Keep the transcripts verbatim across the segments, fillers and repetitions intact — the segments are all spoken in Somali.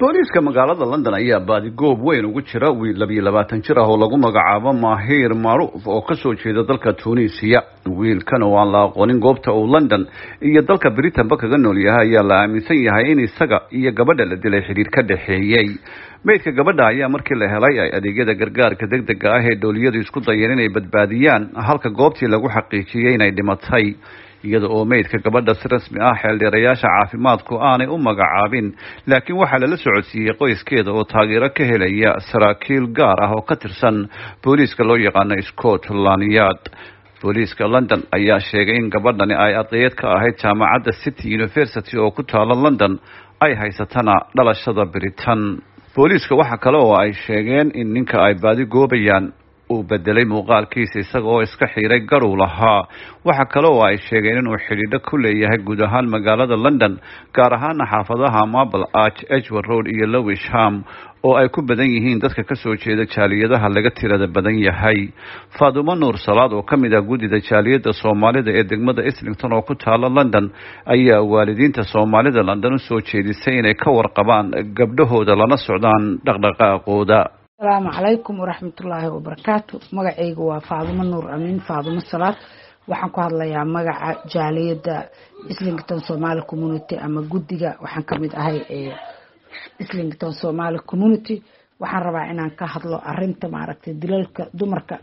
Booliiska magaalada London ayaa baadigoob weyn ugu jira wiil labiyo labaatan jir ah oo lagu magacaabo Mahir Macruuf oo kasoo jeeda dalka Tunisia. Wiilkan oo aan la aqoonin goobta uu London iyo dalka Britain-ba kaga nool yahay ayaa la aaminsan yahay in isaga iyo gabadha la dilay xiriir ka dhexeeyey. Meydka gabadha ayaa markii la helay ay adeegyada gargaarka degdega ah ee dowliyadu isku dayeen inay badbaadiyaan, halka goobtii lagu xaqiijiyey inay dhimatay, iyada oo meydka gabadha si rasmi ah xeeldheerayaasha caafimaadku aanay u magacaabin, laakiin waxaa lala socodsiiyey qoyskeeda oo taageero ka helaya saraakiil gaar ah oo ka tirsan booliiska loo yaqaano Scotland Yard. Booliiska London ayaa sheegay in gabadhani ay ardayad ka ahayd jaamacadda City University oo ku taala London, ay haysatana dhalashada Britain. Booliiska waxa kale oo ay sheegeen in ninka ay baadi goobayaan uu bedelay muuqaalkiisa, isaga oo iska xiiray garuu lahaa. Waxa kale oo ay sheegeen inuu xidhiidho ku leeyahay guud ahaan magaalada London, gaar ahaana xaafadaha Marble Arch, Edgware Road iyo Lewisham oo ay ku badan yihiin dadka kasoo jeeda jaaliyadaha laga tirada badan yahay. Faadumo Nuur Salaad oo ka mid ah guddida jaaliyadda Soomaalida ee degmada Islington oo ku taala London ayaa waalidiinta Soomaalida London usoo jeedisay inay ka warqabaan gabdhahooda lana socdaan dhaqdhaqaaqooda. Asalaamu calaykum waraxmatullaahi wabarakaatu. Magacayga waa Faadumo Nuur Amiin, Faadumo Salaad. Waxaan ku hadlayaa magaca jaaliyadda Islington Somali Community ama guddiga. Waxaan kamid ahay ee Islington Somali Community. Waxaan rabaa inaan ka hadlo arinta maaragtay dilalka dumarka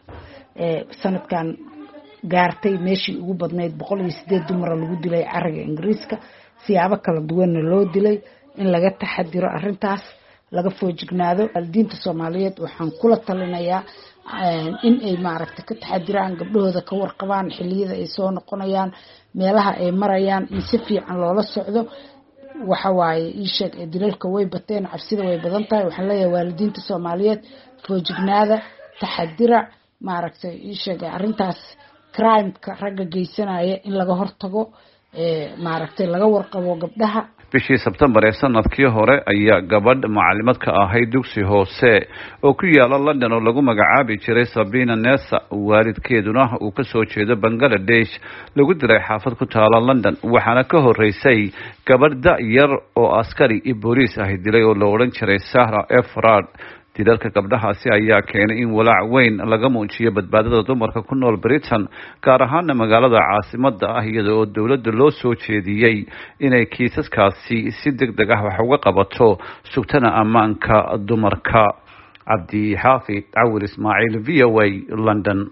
ee sanadkan gaartay meeshii ugu badnayd, boqol iyo sideed dumara lagu dilay cariga Ingiriiska, siyaabo kala duwanna loo dilay, in laga taxadiro arintaas, laga foojignaado. Waalidiinta Soomaaliyeed waxaan kula talinayaa in ay maaragtay ka taxadiraan gabdhahooda, ka warqabaan xiliyada ay soo noqonayaan, meelaha ay marayaan, in si fiican loola socdo. Waxa waaye ii sheeg, dilalka way bateen, cabsida way badan tahay. Waxaan leeyahay waalidiinta Soomaaliyeed, foojignaada, taxadira, maaragtay ii sheeg arrintaas crimeka ragga geysanaya in laga hortago, maaragtay laga warqabo gabdhaha. Bishii Sebtembar ee sanadkii hore ayaa gabadh macalimad ka ahayd dugsi hoose oo ku yaala London oo lagu magacaabi jiray Sabina Nessa, waalidkeeduna uu kasoo jeedo Bangaladesh, lagu dilay xaafad ku taala London. Waxaana ka horeysay gabadh da' yar oo askari iyo booliis ahi dilay oo la odhan jiray Sahra Everard. Dilalka gabdhahaasi ayaa keenay in walaac weyn laga muujiyo badbaadada dumarka ku nool Britain, gaar ahaana magaalada caasimada ah, iyada oo dowladda loo soo jeediyey inay kiisaskaasi si deg deg ah wax uga qabato, sugtana ammaanka dumarka. Cabdi Xaafid Cawil Ismaaciil, V O A, London.